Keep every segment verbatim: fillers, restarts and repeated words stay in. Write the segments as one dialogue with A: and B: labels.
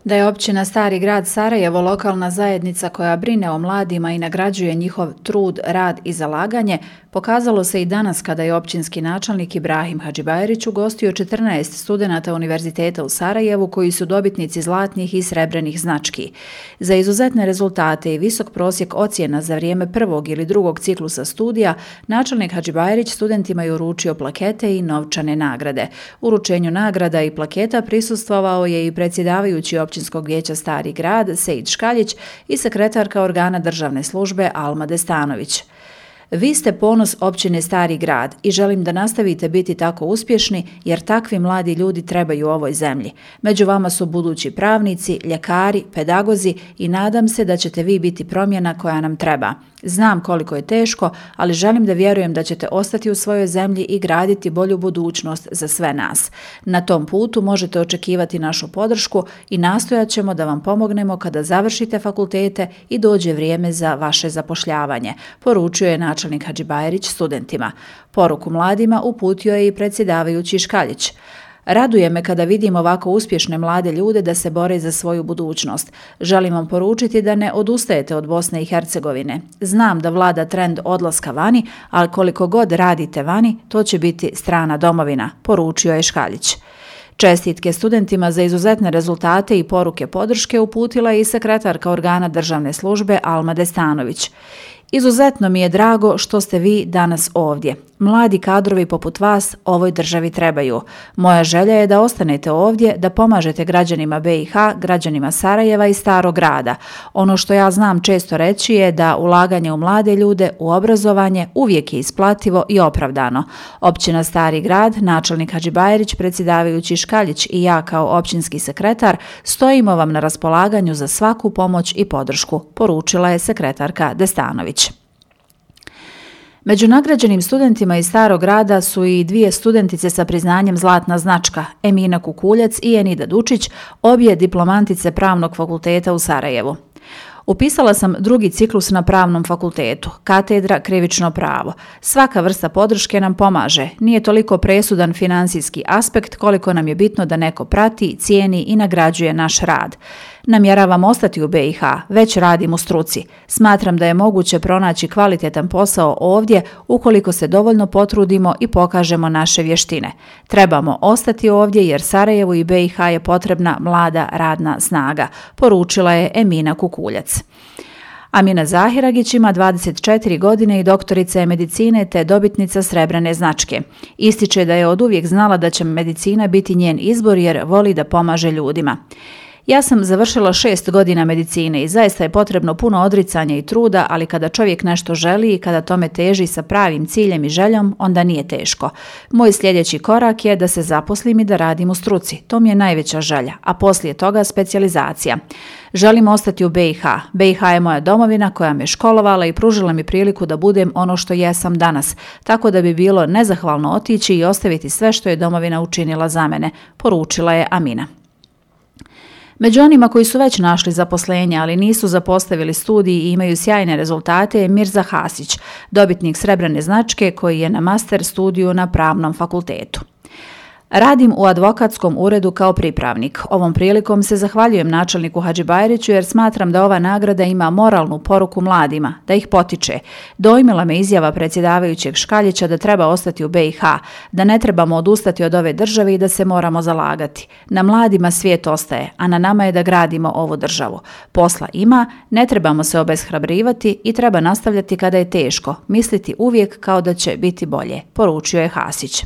A: Da je općina Stari grad Sarajevo lokalna zajednica koja brine o mladima i nagrađuje njihov trud, rad i zalaganje, pokazalo se i danas kada je općinski načelnik Ibrahim Hadžibajerić ugostio četrnaest studenata Univerziteta u Sarajevu koji su dobitnici zlatnih i srebrnih znački. Za izuzetne rezultate i visok prosjek ocjena za vrijeme prvog ili drugog ciklusa studija, načelnik Hadžibajerić studentima je uručio plakete i novčane nagrade. Uručenju nagrada i plaketa prisustvovao je i predsjedavajući općinskog vijeća Stari grad Sejid Škaljić i sekretarka organa državne službe Alma Destanović. Vi ste ponos općine Stari grad i želim da nastavite biti tako uspješni jer takvi mladi ljudi trebaju ovoj zemlji. Među vama su budući pravnici, ljekari, pedagozi i nadam se da ćete vi biti promjena koja nam treba. Znam koliko je teško, ali želim da vjerujem da ćete ostati u svojoj zemlji i graditi bolju budućnost za sve nas. Na tom putu možete očekivati našu podršku i nastojat ćemo da vam pomognemo kada završite fakultete i dođe vrijeme za vaše zapošljavanje, poručio je načelnik Hadžibajerić studentima. Poruku mladima uputio je i predsjedavajući Škaljić. Raduje me kada vidim ovako uspješne mlade ljude da se bore za svoju budućnost. Želim vam poručiti da ne odustajete od Bosne i Hercegovine. Znam da vlada trend odlaska vani, ali koliko god radite vani, to će biti strana domovina, poručio je Škaljić. Čestitke studentima za izuzetne rezultate i poruke podrške uputila je i sekretarka organa državne službe Alma Destanović. Izuzetno mi je drago što ste vi danas ovdje. Mladi kadrovi poput vas ovoj državi trebaju. Moja želja je da ostanete ovdje, da pomažete građanima B i H, građanima Sarajeva i Starog grada. Ono što ja znam često reći je da ulaganje u mlade ljude, u obrazovanje uvijek je isplativo i opravdano. Općina Stari grad, načelnik Hadžibajerić, predsjedavajući Škaljić i ja kao općinski sekretar stojimo vam na raspolaganju za svaku pomoć i podršku, poručila je sekretarka Destanović. Među nagrađenim studentima iz Starog grada su i dvije studentice sa priznanjem Zlatna značka, Emina Kukuljac i Enida Dučić, obje diplomantice Pravnog fakulteta u Sarajevu. Upisala sam drugi ciklus na Pravnom fakultetu, katedra krivično pravo. Svaka vrsta podrške nam pomaže. Nije toliko presudan finansijski aspekt koliko nam je bitno da neko prati, cijeni i nagrađuje naš rad. Namjeravam ostati u B i H, već radim u struci. Smatram da je moguće pronaći kvalitetan posao ovdje ukoliko se dovoljno potrudimo i pokažemo naše vještine. Trebamo ostati ovdje jer Sarajevu i B i H je potrebna mlada radna snaga, poručila je Emina Kukuljac. Amina Zahiragić ima dvadeset četiri godine i doktorica je medicine te dobitnica srebrne značke. Ističe da je oduvijek znala da će medicina biti njen izbor jer voli da pomaže ljudima. Ja sam završila šest godina medicine i zaista je potrebno puno odricanja i truda, ali kada čovjek nešto želi i kada tome teži sa pravim ciljem i željom, onda nije teško. Moj sljedeći korak je da se zaposlim i da radim u struci. To mi je najveća želja, a poslije toga specijalizacija. Želim ostati u B i H. B i H je moja domovina koja me školovala i pružila mi priliku da budem ono što jesam danas, tako da bi bilo nezahvalno otići i ostaviti sve što je domovina učinila za mene, poručila je Amina. Među onima koji su već našli zaposlenje, ali nisu zapostavili studij i imaju sjajne rezultate je Mirza Hasić, dobitnik srebrne značke koji je na master studiju na Pravnom fakultetu. Radim u advokatskom uredu kao pripravnik. Ovom prilikom se zahvaljujem načelniku Hadžibajeriću jer smatram da ova nagrada ima moralnu poruku mladima, da ih potiče. Dojmila me izjava predsjedavajućeg Škaljića da treba ostati u B i H, da ne trebamo odustati od ove države i da se moramo zalagati. Na mladima svijet ostaje, a na nama je da gradimo ovu državu. Posla ima, ne trebamo se obeshrabrivati i treba nastavljati kada je teško, misliti uvijek kao da će biti bolje, poručio je Hasić.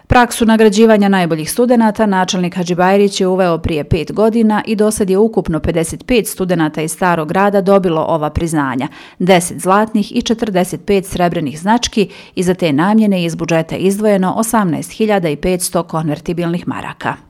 A: Praksu nagrađivanja najboljih studenata načelnik Hadžibajerić je uveo prije pet godina i dosad je ukupno pedeset pet studenata iz Starog grada dobilo ova priznanja, deset zlatnih i četrdeset pet srebrnih znački i za te namjene iz budžeta izdvojeno osamnaest hiljada petsto konvertibilnih maraka.